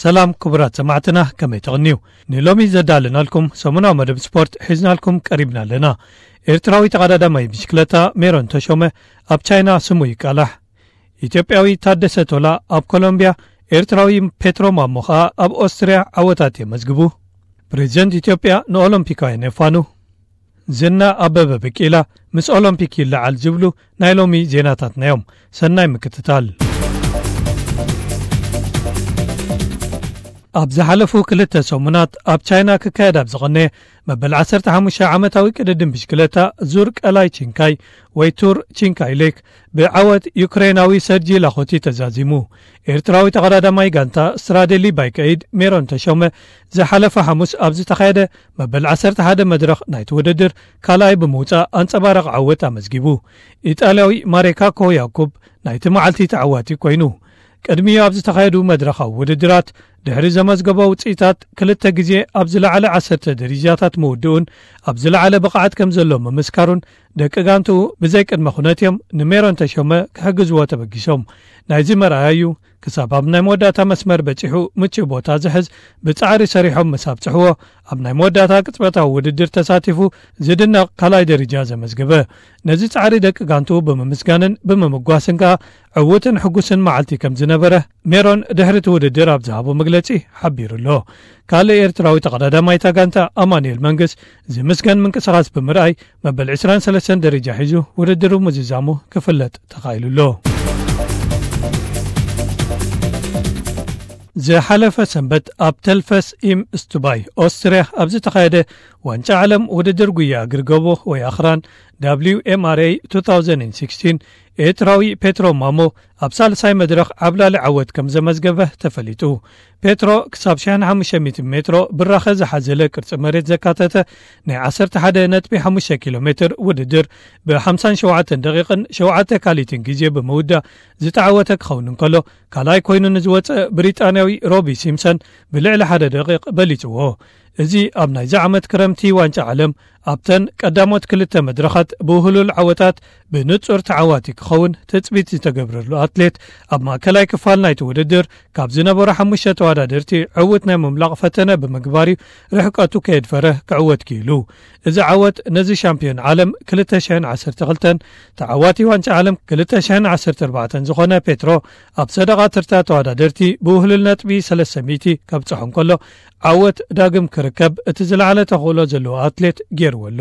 ሰላም ክቡራት ሰማዕትና፣ ከመይ ትቕንዩ? ንሎሚ ዘዳለናልኩም ሰሙናዊ መደብ ስፖርት ሒዝናልኩም ቀሪብና ኣለና። ኤርትራዊ ተቐዳዳማይ ብሽክለታ ሜሮን ተሾመ ኣብ ቻይና ስሙ ይቃላሕ። ኢትዮጵያዊ ታደሰ ቶላ ኣብ ኮሎምቢያ፣ ኤርትራዊ ፔትሮ ማሞ ኸኣ ኣብ ኦስትርያ ዓወታት የመዝግቡ። ፕሬዚደንት ኢትዮጵያ ንኦሎምፒካውያን የፋኑ። ዝና ኣበበ ቢቂላ ምስ ኦሎምፒክ ይለዓል ዝብሉ ናይ ሎሚ ዜናታትና እዮም። ሰናይ ምክትታል። ኣብ ዝሓለፉ ክልተ ሰሙናት ኣብ ቻይና ክካየድ ኣብ ዝቐነየ መበል ዓሰርተ ሓሙሽተ ዓመታዊ ቅድድም ብሽክለታ ዙር ቀላይ ቺንካይ ወይ ቱር ቺንካይ ሌክ ብዓወት ዩክሬናዊ ሰርጂ ላኾቲ ተዛዚሙ። ኤርትራዊ ተቐዳዳማይ ጋንታ ስትራዴሊ ባይክ ኤይድ ሜሮን ተሾመ ዝሓለፈ ሓሙስ ኣብ ዝተኻየደ መበል ዓሰርተ ሓደ መድረኽ ናይቲ ውድድር ካልኣይ ብምውጻእ ኣንጸባራቒ ዓወት ኣመዝጊቡ። ኢጣልያዊ ማሬካ ኮያኩብ ናይቲ መዓልቲ ተዓዋቲ ኮይኑ። ቅድሚኡ ኣብ ዝተኻየዱ መድረኻዊ ውድድራት ድሕሪ ዘመዝገቦ ውጽኢታት ክልተ ግዜ ኣብ ዝለዓለ ዓሰርተ ደረጃታት ምውድኡን ኣብ ዝለዓለ ብቕዓት ከም ዘሎ ምምስካሩን ደቂ ጋንትኡ ብዘይ ቅድመ ኩነት እዮም ንሜሮን ተሾመ ክሕግዝዎ ተበጊሶም። ናይዚ መርኣያ እዩ። ክሳብ ኣብ ናይ መወዳእታ መስመር በጺሑ ምቹእ ቦታ ዝሕዝ ብጻዕሪ ሰሪሖም ምስ ኣብጽሕዎ፣ ኣብ ናይ መወዳእታ ቅጽበታዊ ውድድር ተሳቲፉ ዝድነቕ ካልኣይ ደረጃ ዘመዝገበ። ነዚ ጻዕሪ ደቂ ጋንትኡ ብምምስጋንን ብምምጓስን ከኣ ዕዉትን ሕጉስን መዓልቲ ከም ዝነበረ ሜሮን ድሕሪ እቲ ውድድር ኣብ ዝሃቦ መግለጺ ሓቢሩ ኣሎ። ካልእ ኤርትራዊ ተቐዳዳማይ እታ ጋንታ ኣማኑኤል መንግስ ዝምስገን ምንቅስቓስ ብምርኣይ መበል ዕስራን ሰለስተን ደረጃ ሒዙ ውድድሩ ምዝዛሙ ክፍለጥ ተኻኢሉ ኣሎ። ዝሓለፈ ሰንበት ኣብ ተልፈስ ኢም ስቱባይ ኦስትርያ ኣብ ዝተኻየደ ዋንጫ ዓለም ውድድር ጉያ እግሪ ጎቦ ወይ ኣኽራን ደብሊው ኤም ኣር ኤ ቱ ታውዘንድ ሲክስቲን ኤርትራዊ ፔትሮ ማሞ ኣብ ሳልሳይ መድረኽ ዓብላሊ ዓወት ከም ዘመዝገበ ተፈሊጡ። ፔትሮ ክሳብ ሽሕን ሓሙሽተ ሚእትን ሜትሮ ብራኸ ዝሓዘለ ቅርጺ መሬት ዘካተተ ናይ ዓሰርተ ሓደ ነጥቢ ሓሙሽተ ኪሎ ሜትር ውድድር ብሓምሳን ሸውዓተን ደቂቕን ሸውዓተ ካሊትን ግዜ ብምውዳእ ዝተዓወተ ክኸውን እንከሎ፣ ካልኣይ ኮይኑ ንዝወጸ ብሪጣንያዊ ሮቢ ሲምሰን ብልዕሊ ሓደ ደቂቕ በሊጽዎ። እዚ ኣብ ናይዚ ዓመት ክረምቲ ዋንጫ ዓለም ኣብተን ቀዳሞት ክልተ መድረኻት ብውህሉል ዓወታት ብንጹር ተዓዋቲ ክኸውን ትጽቢት ዝተገብረሉ ኣትሌት፣ ኣብ ማእከላይ ክፋል ናይቲ ውድድር ካብ ዝነበሩ ሓሙሽተ ተወዳደርቲ ዕዉት ናይ ምምላቕ ፈተነ ብምግባር እዩ ርሕቀቱ ከየድፈረ ክዕወት ክኢሉ። እዚ ዓወት ነዚ ሻምፒዮን ዓለም ክልተ ሽሕን ዓሰርተ ክልተን ተዓዋቲ ዋንጫ ዓለም ክልተ ሽሕን ዓሰርተ ኣርባዕተን ዝኾነ ፔትሮ ኣብ ሰደቓ ተርታ ተወዳደርቲ ብውህሉል ነጥቢ ሰለስተ ሚእቲ ከብጽሖ እንከሎ፣ ዓወት ዳግም ክርከብ እቲ ዝለዓለ ተኽእሎ ዘለዎ ኣትሌት ገይርዎ ኣሎ።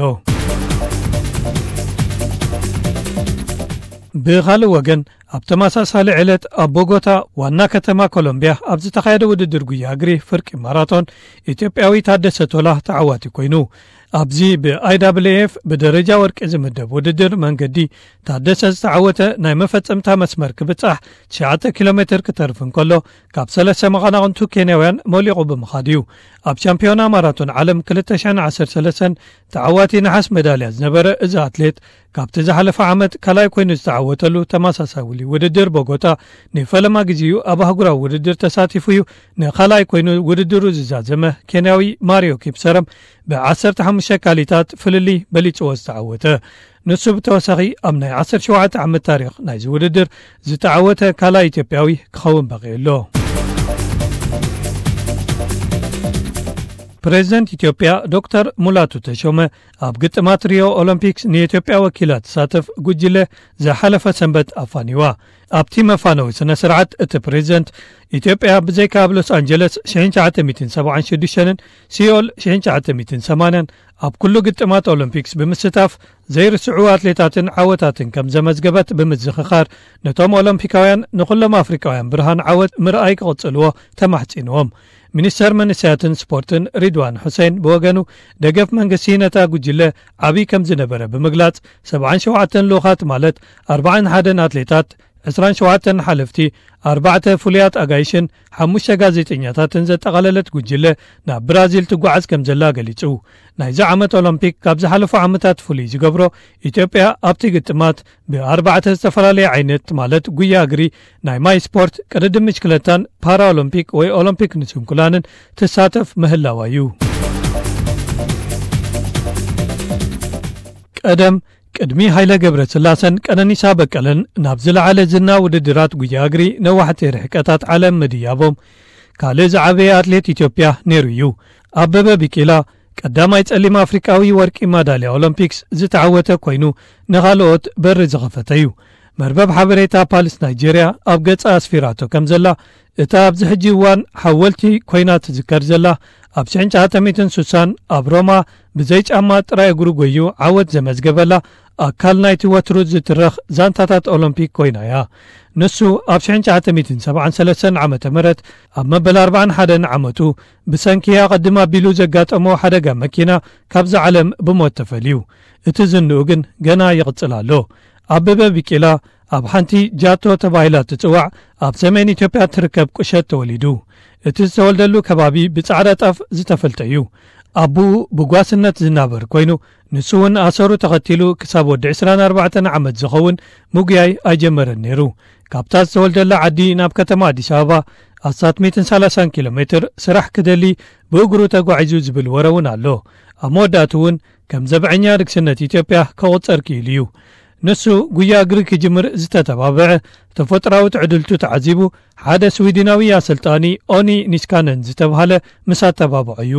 ብኻልእ ወገን፣ ኣብ ተመሳሳሊ ዕለት ኣብ ቦጎታ ዋና ከተማ ኮሎምቢያ ኣብ ዝተኻየደ ውድድር ጉያ እግሪ ፍርቂ ማራቶን ኢትዮጵያዊ ታደሰ ቶላ ተዓዋቲ ኮይኑ። ኣብዚ ብ ኣይ ዳብል ኤ ኤፍ ብደረጃ ወርቂ ዝምደብ ውድድር መንገዲ ታደሰ ዝተዓወተ ናይ መፈጸምታ መስመር ክብጻሕ ትሽዓተ ኪሎ ሜትር ክተርፍ እንከሎ ካብ ሰለስተ መቐናቕንቱ ኬንያውያን መሊቑ ብምኻድ እዩ። ኣብ ሻምፒዮና ማራቶን ዓለም ክልተ ሽሕን ዓሰርተ ሰለስተን ተዓዋቲ ነሓስ መዳልያ ዝነበረ እዚ ኣትሌት ካብቲ ዝሓለፈ ዓመት ካልኣይ ኮይኑ ዝተዓወተሉ ተመሳሳሊ ውድድር ቦጎታ ንፈለማ ግዜኡ ኣብ ኣህጉራዊ ውድድር ተሳቲፉ እዩ ንኻልኣይ ኮይኑ ውድድሩ ዝዛዘመ ኬንያዊ ማሪዮ ኪፕሰረም ብዓሰርተ ሓሙሽተ ካሊታት ፍልልይ በሊጽዎ ዝተዓወተ። ንሱ ብተወሳኺ ኣብ ናይ ዓሰርተ ሸውዓተ ዓመት ታሪኽ ናይዚ ውድድር ዝተዓወተ ካልኣይ ኢትዮጵያዊ ክኸውን በቒዑ ኣሎ። ፕሬዚደንት ኢትዮጵያ ዶክተር ሙላቱ ተሾመ ኣብ ግጥማት ሪዮ ኦሎምፒክስ ንኢትዮጵያ ወኪላ ትሳተፍ ጉጅለ ዝሓለፈ ሰንበት ኣፋኒዋ። ኣብቲ መፋነዊ ስነ ስርዓት እቲ ፕሬዚደንት፣ ኢትዮጵያ ብዘይካ ኣብ ሎስ ኣንጀለስ ሽሕን ትሽዓተ ሚእትን ሰብዓን ሽዱሽተን ሲኦል ሽሕን ትሽዓተ ሚእትን ሰማንያን ኣብ ኩሉ ግጥማት ኦሎምፒክስ ብምስታፍ ዘይርስዑ ኣትሌታትን ዓወታትን ከም ዘመዝገበት ብምዝኽኻር፣ ነቶም ኦሎምፒካውያን ንኹሎም ኣፍሪካውያን ብርሃን ዓወት ምርኣይ ክቕጽልዎ ተማሕጺንዎም። ሚኒስተር መንእሰያትን ስፖርትን ሪድዋን ሑሴን ብወገኑ፣ ደገፍ መንግስቲ ነታ ጉጅለ ዓብዪ ከም ዝነበረ ብምግላጽ፣ ሰብዓን ሸውዓተን ልኡኻት ማለት ኣርባዓን ሓደን ኣትሌታት፣ ዕስራን ሸውዓተን ሓለፍቲ፣ ኣርባዕተ ፍሉያት ኣጋይሽን ሓሙሽተ ጋዜጠኛታትን ዘጠቓለለት ጉጅለ ናብ ብራዚል ትጓዓዝ ከም ዘላ ገሊጹ። ናይዚ ዓመት ኦሎምፒክ ካብ ዝሓለፉ ዓመታት ፍሉይ ዝገብሮ፣ ኢትዮጵያ ኣብቲ ግጥማት ብኣርባዕተ ዝተፈላለየ ዓይነት ማለት ጉያ እግሪ፣ ናይ ማይ ስፖርት፣ ቅድድም ብሽክለታን ፓራኦሎምፒክ ወይ ኦሎምፒክ ንስንኩላንን ትሳተፍ ምህላዋ እዩ። ቀደም ቅድሚ ሃይለ ገብረስላሰን ቀነኒሳ በቀለን ናብ ዝለዓለ ዝና ውድድራት ጉያ እግሪ ነዋሕቲ ርሕቀታት ዓለም ምድያቦም፣ ካልእ ዝዓበየ ኣትሌት ኢትዮጵያ ነይሩ እዩ። ኣበበ ቢቂላ ቀዳማይ ጸሊም ኣፍሪቃዊ ወርቂ ማዳልያ ኦሎምፒክስ ዝተዓወተ ኮይኑ፣ ንኻልኦት በሪ ዝኸፈተ እዩ። መርበብ ሓበሬታ ፓልስ ናይጄርያ ኣብ ገጻ ኣስፊራቶ ከም ዘላ፣ እታ ኣብዚ ሕጂ እዋን ሓወልቲ ኮይና ትዝከር ዘላ፣ ኣብ ሽሕን ትሽዓተ ሚእትን ስሳን ኣብ ሮማ ብዘይ ጫማ ጥራይ እግሩ ጎዩ ዓወት ዘመዝገበላ፣ ኣካል ናይቲ ወትሩ ዝትረኽ ዛንታታት ኦሎምፒክ ኮይና እያ። ንሱ ኣብ ሽሕን ትሽዓተ ሚእትን ሰብዓን ሰለስተን ዓመተ ምህረት ኣብ መበል ኣርባዓን ሓደን ዓመቱ ብሰንኪ ኣቐድም ኣቢሉ ዘጋጠሞ ሓደጋ መኪና ካብዛ ዓለም ብሞት ተፈልዩ። እቲ ዝንኡ ግን ገና ይቕጽል ኣሎ። ኣበበ ቢቂላ ኣብ ሓንቲ ጃቶ ተባሂላ ትጽዋዕ ኣብ ሰሜን ኢትዮጵያ ትርከብ ቁሸት ተወሊዱ። እቲ ዝተወልደሉ ከባቢ ብጻዕዳ ጣፍ ዝተፈልጠ እዩ። ኣቦኡ ብጓስነት ዝናበር ኮይኑ፣ ንሱ እውን ኣሰሩ ተኸቲሉ ክሳብ ወዲ ዕስራን ኣርባዕተን ዓመት ዝኸውን ምጉያይ ኣይጀመረን ነይሩ። ካብታ ዝተወልደላ ዓዲ ናብ ከተማ ኣዲስ ኣበባ ኣስታት ሚእትን ሰላሳን ኪሎ ሜትር ስራሕ ክደሊ ብእግሩ ተጓዒዙ ዝብል ወረ እውን ኣሎ። ኣብ መወዳእቱ እውን ከም ዘብዐኛ ንግስነት ኢትዮጵያ ክቑጸር ክኢሉ እዩ። ንሱ ጉያ እግሪ ክጅምር ዝተተባብዐ ተፈጥራዊ ትዕድልቱ ተዓዚቡ፣ ሓደ ስዊድናዊ ኣሰልጣኒ ኦኒ ኒስካነን ዝተብሃለ ምስ ኣተባብዖ እዩ።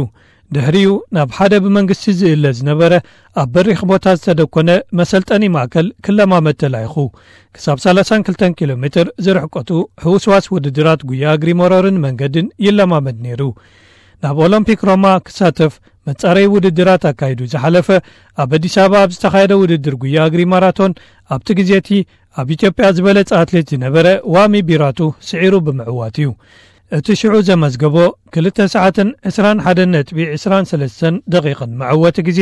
ድሕሪኡ ናብ ሓደ ብመንግስቲ ዝእለ ዝነበረ ኣብ በሪኽ ቦታ ዝተደኮነ መሰልጠኒ ማእከል ክለማመድ ተላይኹ። ክሳብ ሰላሳን ክልተን ኪሎ ሜትር ዝርሕቀቱ ሕውስዋስ ውድድራት ጉያ እግሪ መሮርን መንገድን ይለማመድ ነይሩ። ናብ ኦሎምፒክ ሮማ ክሳተፍ መጻረይ ውድድራት ኣካይዱ ዝሓለፈ፣ ኣብ ኣዲስ ኣበባ ኣብ ዝተኻየደ ውድድር ጉያ እግሪ ማራቶን፣ ኣብቲ ግዜ እቲ ኣብ ኢትዮጵያ ዝበለጸ ኣትሌት ዝነበረ ዋሚ ቢራቱ ስዒሩ ብምዕዋት እዩ። እቲ ሽዑ ዘመዝገቦ ክልተ ሰዓትን ዕስራን ሓደን ነጥቢ ዕስራን ሰለስተን ደቂቕን መዕወቲ ግዜ፣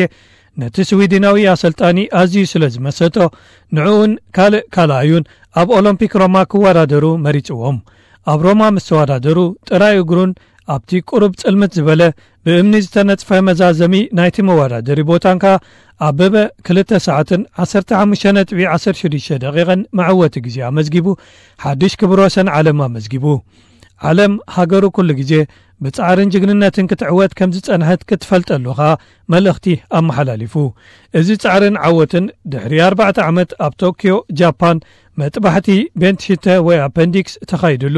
ነቲ ስዊድናዊ ኣሰልጣኒ ኣዝዩ ስለ ዝመሰጦ፣ ንዕኡን ካልእ ካልኣዩን ኣብ ኦሎምፒክ ሮማ ክወዳደሩ መሪጽዎም። ኣብ ሮማ ምስ ተወዳደሩ፣ ጥራይ እግሩን ኣብቲ ቁሩብ ጽልምት ዝበለ ብእምኒ ዝተነጽፈ መዛዘሚ ናይቲ መወዳደሪ ቦታን ከኣ ኣበበ ክልተ ሰዓትን ዓሰርተ ሓሙሽተ ነጥቢ ዓሰርተ ሽዱሽተ ደቂቕን መዕወቲ ግዜ ኣመዝጊቡ፣ ሓድሽ ክብረ ወሰን ዓለም ኣመዝጊቡ። ዓለም ሃገሩ ኩሉ ግዜ ብጻዕርን ጅግንነትን ክትዕወት ከም ዝጸንሐት ክትፈልጠሉ ከኣ መልእኽቲ ኣመሓላሊፉ። እዚ ጻዕርን ዓወትን ድሕሪ ኣርባዕተ ዓመት ኣብ ቶክዮ፣ ጃፓን፣ መጥባሕቲ ቤንትሽተ ወይ ኣፐንዲክስ ተኻይድሉ፣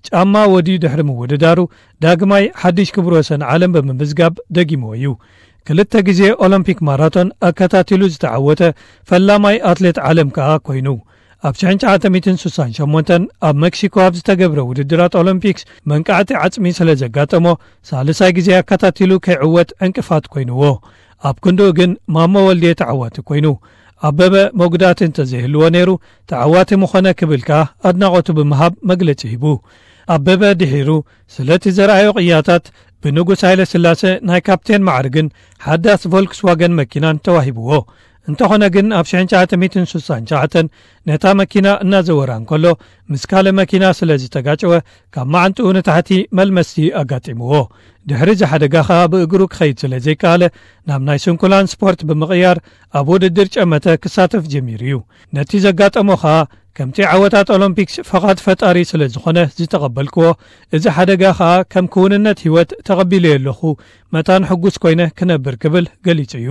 ጫማ ወድዩ ድሕሪ ምውድዳሩ፣ ዳግማይ ሓድሽ ክብረ ወሰን ዓለም ብምምዝጋብ ደጊምዎ እዩ። ክልተ ግዜ ኦሎምፒክ ማራቶን ኣከታቲሉ ዝተዓወተ ፈላማይ ኣትሌት ዓለም ከኣ ኮይኑ። ኣብ ሽሕን ትሽዓተ ሚእትን ስሳን ሸሞንተን ኣብ ሜክሲኮ ኣብ ዝተገብረ ውድድራት ኦሎምፒክስ መንቃዕቲ ዓጽሚ ስለ ዘጋጠሞ፣ ሳልሳይ ግዜ ኣከታቲሉ ከይዕወት ዕንቅፋት ኮይንዎ። ኣብ ክንድኡ ግን ማሞ ወልዴ ተዓዋቲ ኮይኑ። ኣበበ መጉዳእቲ እንተዘይህልዎ ነይሩ፣ ተዓዋቲ ምኾነ ክብል ከኣ ኣድናቖቱ ብምሃብ መግለጺ ሂቡ። ኣበበ ድሒሩ፣ ስለቲ ዘርኣዮ ቅያታት ብንጉስ ሃይለ ስላሰ ናይ ካፕቴን ማዕርግን ሓዳስ ቮልክስዋገን መኪናን ተዋሂብዎ። እንተኾነ ግን፣ ኣብ ሽሕን ትሽዓተ ሚእትን ስሳን ትሽዓተን ነታ መኪና እናዘወራ እንከሎ፣ ምስ ካልእ መኪና ስለ ዝተጋጨወ፣ ካብ መዓንጥኡ ንታሕቲ መልመስቲ ኣጋጢምዎ። ድሕሪ እዚ ሓደጋ ኸኣ ብእግሩ ክኸይድ ስለ ዘይከኣለ፣ ናብ ናይ ስንኩላን ስፖርት ብምቕያር፣ ኣብ ውድድር ጨመተ ክሳተፍ ጀሚሩ እዩ። ነቲ ዘጋጠሞ ኸኣ፣ ከምቲ ዓወታት ኦሎምፒክስ ፈቓድ ፈጣሪ ስለ ዝኾነ ዝተቐበልክዎ፣ እዚ ሓደጋ ኸኣ ከም ክውንነት ህይወት ተቐቢለዮ ኣለኹ፣ መታን ሕጉስ ኮይነ ክነብር ክብል ገሊጹ እዩ።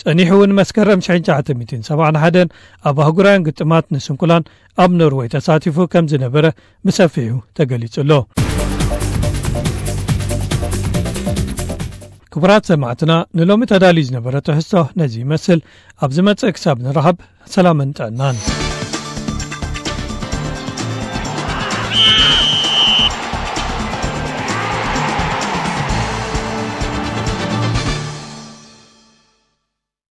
ጸኒሑ እውን መስከረም ሽሕን ትሽዓተ ሚእትን ሰብዓን ሓደን ኣብ ኣህጉራውያን ግጥማት ንስንኩላን ኣብ ኖርወይ ተሳቲፉ ከም ዝነበረ ብሰፊሑ ተገሊጹ ኣሎ። ክቡራት ሰማዕትና፣ ንሎሚ ተዳልዩ ዝነበረ ትሕዝቶ ነዚ ይመስል። ኣብ ዝመጽእ ክሳብ ንረኸብ፣ ሰላምን ጥዕናን።